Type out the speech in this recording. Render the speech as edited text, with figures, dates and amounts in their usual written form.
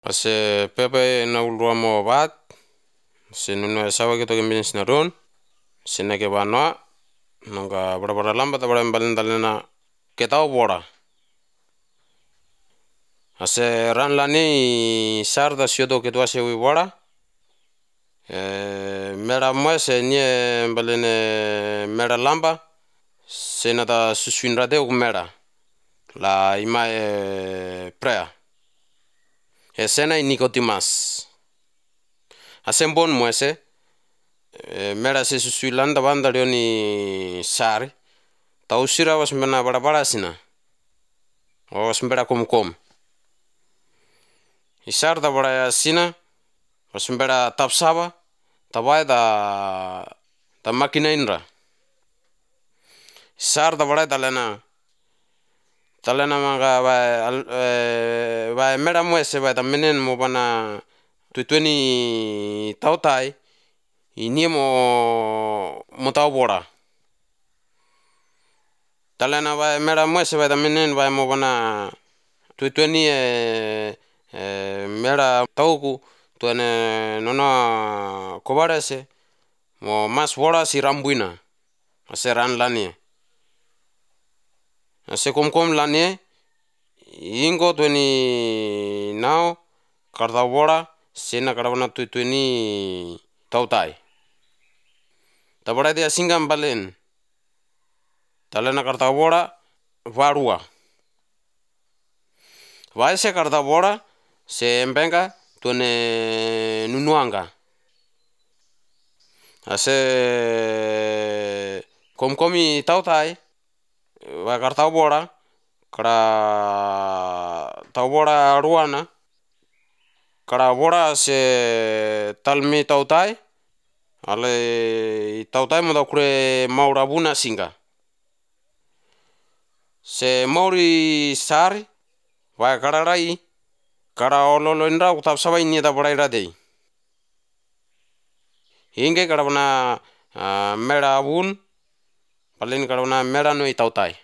Ase pepe na ulrua mo bat, se nuno sawa kita kembins na ron, se na ke banwa, nongka bada lamba ta bada mbalin dalena ketau bora. Ase ran lani sar da siodo ketua se wi bora, mera mo se nie mbalene mera lamba, se na ta susuin rade uk mera, la ima prea. Esena Nicotimas. Asembon mo ese mera se susuilanda banda leoni sari. Tausira was mena bara sina. Was mbera kom. Isar da bara sina was mbera tapsaba tabai da makina inra. Isar da bara talena maga ba mera mo ese ba menen mo bana tuitweni tautai ini mo tau bora. Talena ba mera mo ese ba menen ba mo bana tuitweni mera tauku tuene nona kobarese mo mas bora si rambuina ase ran lani. Ase kom lani ingo tweni nao karta bora sena karabana tuitweni tautai. Tabara dia singam balen. Talena karta bora varua. Vaise karta bora se embenga tuene nunuanga. Ase komi tautai va karta bora kara tau bora ruana kara bora se talmi tautai ale tautai mo da kure maura buna singa. Se mauri sari va kararai kara ololo indra utap sabai ni da bora iradei. Inge karabana mera bun palin karabana mera no tautai.